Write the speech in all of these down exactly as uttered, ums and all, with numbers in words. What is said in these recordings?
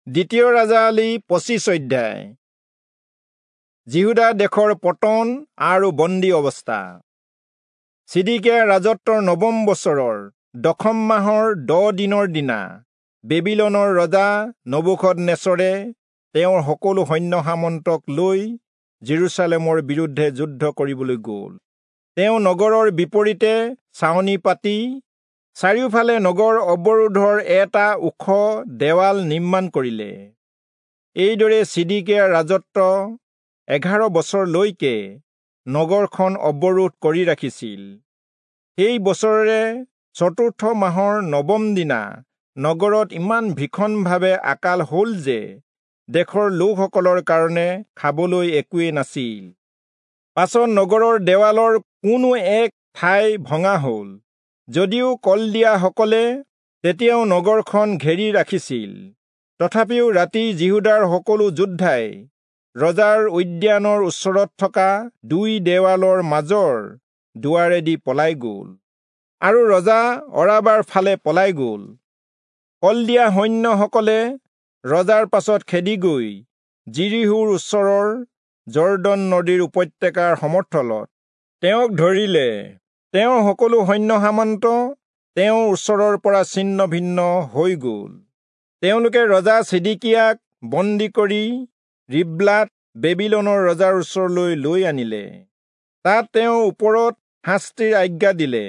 দ্বিতীয় ৰাজাৱলী পঁচিছ অধ্যায়। যিহূদা দেশৰ পতন আৰু বন্দী অৱস্থা। চিদিকিয়াৰ ৰাজত্বৰ নৱম বছৰৰ দশম মাহৰ দহ দিনৰ দিনা বেবিলনৰ ৰজা নবূখদনেচৰে তেওঁৰ সকলো সৈন্য সামন্তক লৈ যিৰূচালেমৰ বিৰুদ্ধে যুদ্ধ কৰিবলৈ গ'ল। তেওঁ নগৰৰ বিপৰীতে ছাউনি পাতি চাৰিওফালে নগৰ অৱৰোধৰ এটা ওখ দেৱাল নিৰ্মাণ কৰিলে। এইদৰে চিদিকিয়াৰ ৰাজত্ব এঘাৰ বছৰলৈকে নগৰখন অৱৰোধ কৰি ৰাখিছিল। সেই বছৰৰে চতুৰ্থ মাহৰ নৱম দিনা নগৰত ইমান ভীষণভাৱে আকাল হ'ল যে দেশৰ লোকসকলৰ কাৰণে খাবলৈ একোৱেই নাছিল। পাছত নগৰৰ দেৱালৰ কোনো এক ঠাই ভঙা হ'ল, যদিও কলদিয়াসকলে তেতিয়াও নগৰখন ঘেৰি ৰাখিছিল। তথাপিও ৰাতি যিহূদাৰ সকলো যোদ্ধাই ৰজাৰ উদ্যানৰ ওচৰত থকা দুই দেৱালৰ মাজৰ দুৱাৰেদি পলাই গ'ল আৰু ৰজা অৰাবাৰ ফালে পলাই গ'ল। কলদিয়া সৈন্যসকলে ৰজাৰ পাছত খেদি গৈ যিৰীহোৰ ওচৰৰ যৰ্দন নদীৰ উপত্যকাৰ সমথলত তেওঁক ধৰিলে। তেওঁৰ সকলো সৈন্য সামন্ত তেওঁৰ ওচৰৰ পৰা ছিন্ন ভিন্ন হৈ গ'ল। তেওঁলোকে ৰজা চিদিকিয়াক বন্দী কৰি ৰিব্লাত বেবিলনৰ ৰজাৰ ওচৰলৈ লৈ আনিলে। তাত তেওঁৰ ওপৰত শাস্তিৰ আজ্ঞা দিলে।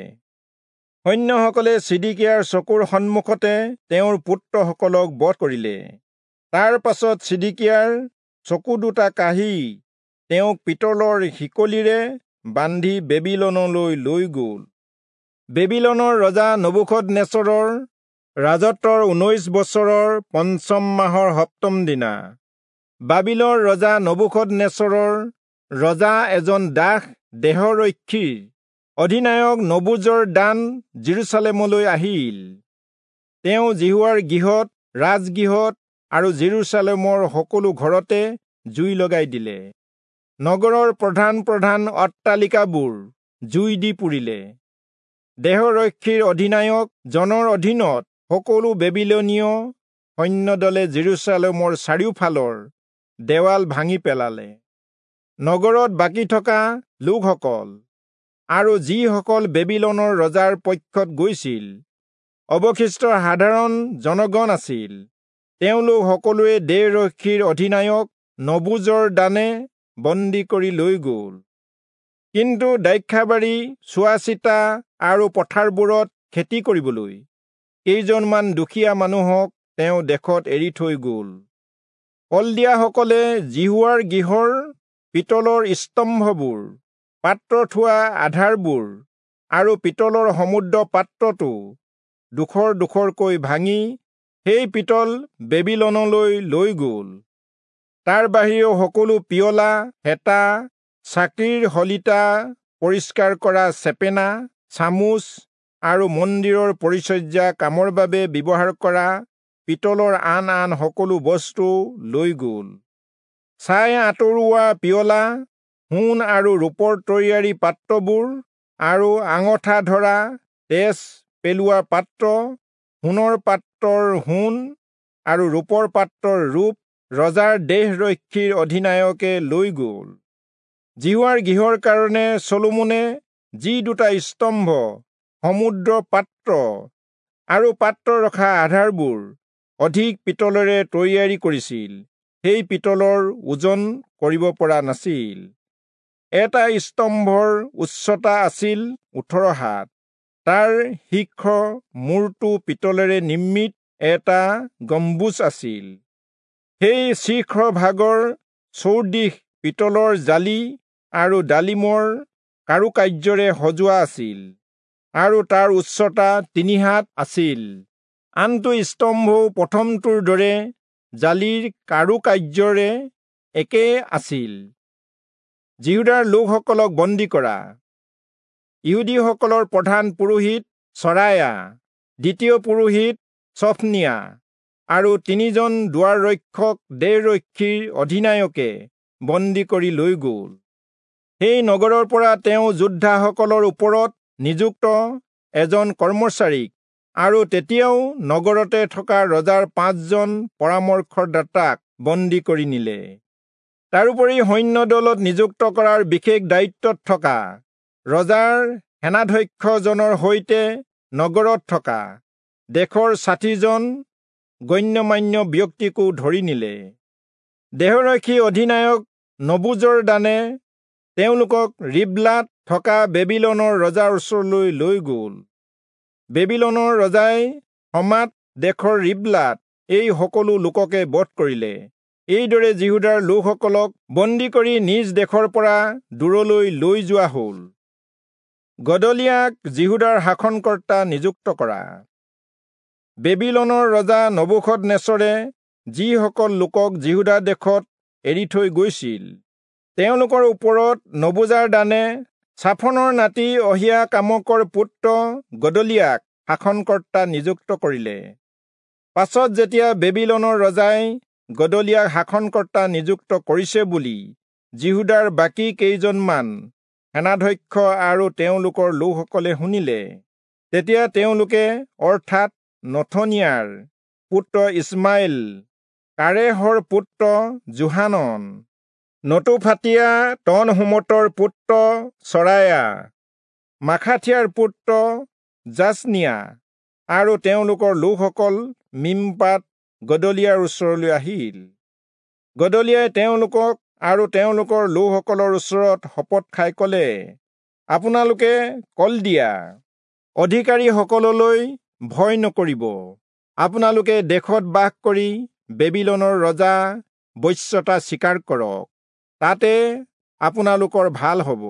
সৈন্যসকলে চিদিকিয়াৰ চকুৰ সন্মুখতে তেওঁৰ পুত্ৰসকলক বধ কৰিলে। তাৰ পাছত চিদিকিয়াৰ চকু দুটা কাঢ়ি তেওঁক পিতলৰ শিকলিৰে বান্ধি বেবিলনলৈ লৈ গ'ল। বেবিলনৰ ৰজা নবূখদনেচৰৰ ৰাজত্বৰ ঊনৈশ বছৰৰ পঞ্চম মাহৰ সপ্তম দিনা বাবিলৰ ৰজা নবূখদনেচৰৰ ৰজা এজন দাস দেহৰক্ষীৰ অধিনায়ক নবূজৰদান যিৰূচালেমলৈ আহিল। তেওঁ যিহোৱাৰ গৃহত, ৰাজগৃহত আৰু যিৰূচালেমৰ সকলো ঘৰতে জুই লগাই দিলে। নগৰৰ প্ৰধান প্ৰধান অট্টালিকাবোৰ জুই দি পুৰিলে। দেহৰক্ষীৰ অধিনায়ক জনৰ অধীনত সকলো বেবিলনীয় সৈন্যদলে যিৰূচালেমৰ চাৰিওফালৰ দেৱাল ভাঙি পেলালে। নগৰত বাকী থকা লোকসকল আৰু যিসকল বেবিলনৰ ৰজাৰ পক্ষত গৈছিল, অৱশিষ্ট সাধাৰণ জনগণ আছিল, তেওঁলোক সকলোৱে দেহৰক্ষীৰ অধিনায়ক নবূজৰদানে বন্দী কৰি লৈ গ'ল। কিন্তু দ্ৰাক্ষাবাৰী চোৱাচিতা আৰু পথাৰবোৰত খেতি কৰিবলৈ কেইজনমান দুখীয়া মানুহক তেওঁ দেশত এৰি থৈ গ'ল। কলদিয়াসকলে যিহোৱাৰ গৃহৰ পিতলৰ স্তম্ভবোৰ, পাত্ৰ থোৱা আধাৰবোৰ আৰু পিতলৰ সমুদ্ৰ পাত্ৰটো ডোখৰ ডোখৰকৈ ভাঙি সেই পিতল বেবিলনলৈ লৈ গ'ল। তাৰ বাহিৰেও সকলো পিয়লা, হেতা, চাকিৰ শলিতা পৰিষ্কাৰ কৰা চেপেনা, চামুচ আৰু মন্দিৰৰ পৰিচৰ্যা কামৰ বাবে ব্যৱহাৰ কৰা পিতলৰ আন আন সকলো বস্তু লৈ গ'ল। ছাই আঁতৰোৱা পিয়লা, সোণ আৰু ৰূপৰ তৈয়াৰী পাত্ৰবোৰ আৰু আঙঠা ধৰা তেজ পেলোৱা পাত্ৰ, সোণৰ পাত্ৰৰ সোণ আৰু ৰূপৰ পাত্ৰৰ ৰূপ ৰজাৰ দেহৰক্ষীৰ অধিনায়কে লৈ গ'ল। যিহোৱাৰ গৃহৰ কাৰণে চলোমনে যি দুটা স্তম্ভ, সমুদ্ৰ পাত্ৰ আৰু পাত্ৰ ৰখা আধাৰবোৰ অধিক পিতলেৰে তৈয়াৰী কৰিছিল, সেই পিতলৰ ওজন কৰিব পৰা নাছিল। এটা স্তম্ভৰ উচ্চতা আছিল ওঠৰ হাত, তাৰ শীৰ্ষ মূৰটো পিতলেৰে নিৰ্মিত এটা গম্বুজ আছিল। সেই শীৰ্ষ ভাগৰ চৌদিশ পিতলৰ জালি আৰু ডালিমৰ কাৰুকাৰ্যৰে সজোৱা আছিল আৰু তাৰ উচ্চতা তিনি হাত আছিল। আনটো স্তম্ভও প্ৰথমটোৰ দৰে জালিৰ কাৰুকাৰ্যৰে একে আছিল। যিহূদাৰ লোকসকলক বন্দী কৰা। ইহুদীসকলৰ প্ৰধান পুৰোহিত চৰায়া, দ্বিতীয় পুৰোহিত চফনিয়া আৰু তিনিজন দুৱাৰৰক্ষক দেহৰক্ষীৰ অধিনায়কে বন্দী কৰি লৈ গ'ল। সেই নগৰৰ পৰা তেওঁ যোদ্ধাসকলৰ ওপৰত নিযুক্ত এজন কৰ্মচাৰীক আৰু তেতিয়াও নগৰতে থকা ৰজাৰ পাঁচজন পৰামৰ্শদাতাক বন্দী কৰি নিলে। তাৰোপৰি সৈন্য দলত নিযুক্ত কৰাৰ বিশেষ দায়িত্বত থকা ৰজাৰ সেনাধ্যক্ষজনৰ সৈতে নগৰত থকা দেশৰ ষাঠিজন গণ্যমান্য ব্যক্তিকো ধৰি নিলে। দেহৰক্ষী অধিনায়ক নবুজৰদানে তেওঁলোকক ৰিবলাত থকা বেবিলনৰ ৰজাৰ ওচৰলৈ লৈ গ'ল। বেবিলনৰ ৰজাই হমাত দেশৰ ৰিবলাত এই সকলো লোককে বধ কৰিলে। এইদৰে যিহূদাৰ লোকসকলক বন্দী কৰি নিজ দেশৰ পৰা দূৰলৈ লৈ যোৱা হ'ল। গদলিয়াক যিহূদাৰ শাসনকৰ্তা নিযুক্ত কৰা। বেবিলনৰ ৰজা নবূখদনেচৰে যিসকল লোকক যিহূদা দেশত এৰি থৈ গৈছিল, তেওঁলোকৰ ওপৰত নবূজাৰদানে চাফনৰ নাতি অহিয়াকামকৰ পুত্ৰ গদলিয়াক শাসনকৰ্তা নিযুক্ত কৰিলে। পাছত যেতিয়া বেবিলনৰ ৰজাই গদলিয়াক শাসনকৰ্তা নিযুক্ত কৰিছে বুলি যিহূদাৰ বাকী কেইজনমান সেনাধ্যক্ষ আৰু তেওঁলোকৰ লোকসকলে শুনিলে, তেতিয়া তেওঁলোকে অৰ্থাৎ নথনিয়াৰ পুত্ৰ ইছমাইল, কাৰেহৰ পুত্ৰ যোহানন, নতোফাতীয়া তনহুমতৰ পুত্ৰ চৰায়া, মাখাথিয়াৰ পুত্ৰ যাচনিয়া আৰু তেওঁলোকৰ লোকসকল মিম্পাত গদলিয়াৰ ওচৰলৈ আহিল। গদলিয়াই তেওঁলোকক আৰু তেওঁলোকৰ লোকসকলৰ ওচৰত শপত খাই ক'লে, আপোনালোকে কলদিয়া অধিকাৰীসকললৈ ভয় নকৰিব। আপোনালোকে দেশত বাস কৰি বেবিলনৰ ৰজা বশ্যতা স্বীকাৰ কৰক, তাতে আপোনালোকৰ ভাল হ'ব।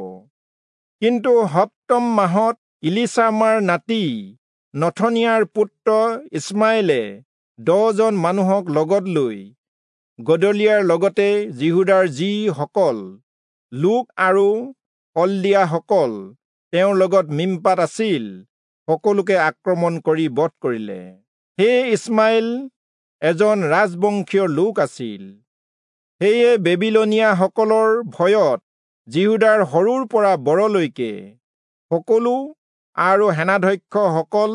কিন্তু সপ্তম মাহত ইলিচামাৰ নাতি নথনিয়াৰ পুত্ৰ ইছমাইলে দহজন মানুহক লগত লৈ গদলিয়াৰ লগতে যিহূদাৰ যিসকল লোক আৰু কলদিয়াসকল তেওঁৰ লগত মিম্পাত আছিল, সকলোকে আক্ৰমণ কৰি বধ কৰিলে। সেই ইছমাইল এজন ৰাজবংশীয় লোক আছিল। সেয়ে বেবিলনীয়াসকলৰ ভয়ত যিহূদাৰ সৰুৰ পৰা বৰলৈকে সকলো আৰু সেনাধ্যক্ষসকল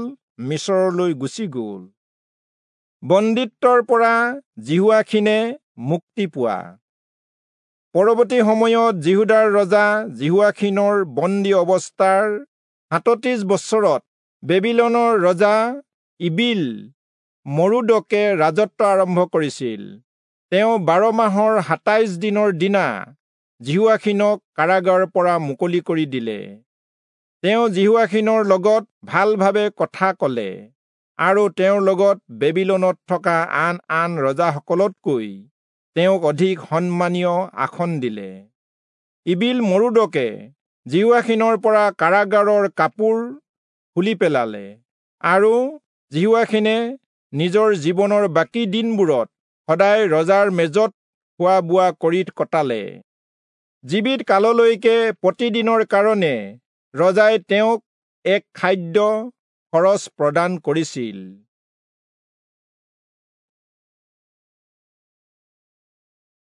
মিচৰলৈ গুচি গ'ল। বন্দীত্বৰ পৰা যিহোৱাখীনে মুক্তি পোৱা। পৰৱৰ্তী সময়ত যিহূদাৰ ৰজা যিহোৱাখীনৰ বন্দী অৱস্থাৰ সাতত্ৰিশ বছৰত বেবিলনৰ ৰজা ইবিল মৰোদকে ৰাজত্ব আৰম্ভ কৰিছিল। তেওঁ বাৰ মাহৰ সাতাইশ দিনৰ দিনা যিহোৱাখীনক কাৰাগাৰৰ পৰা মুকলি কৰি দিলে। তেওঁ যিহোৱাখীনৰ লগত ভালভাৱে কথা ক'লে আৰু তেওঁৰ লগত বেবিলনত থকা আন আন ৰজাসকলতকৈ তেওঁক অধিক সন্মানীয় আসন দিলে। ইবিল মৰোদকে যিহোৱাখীনৰ পৰা কাৰাগাৰৰ কাপোৰ খুলি পেলালে আৰু যিহোৱাখীনে নিজৰ জীৱনৰ বাকী দিনবোৰত সদায় ৰজাৰ মেজত খোৱা বোৱা কৰি কটালে। জীৱিত কাললৈকে প্ৰতিদিনৰ কাৰণে ৰজাই তেওঁক এক খাদ্য খৰচ প্ৰদান কৰিছিল।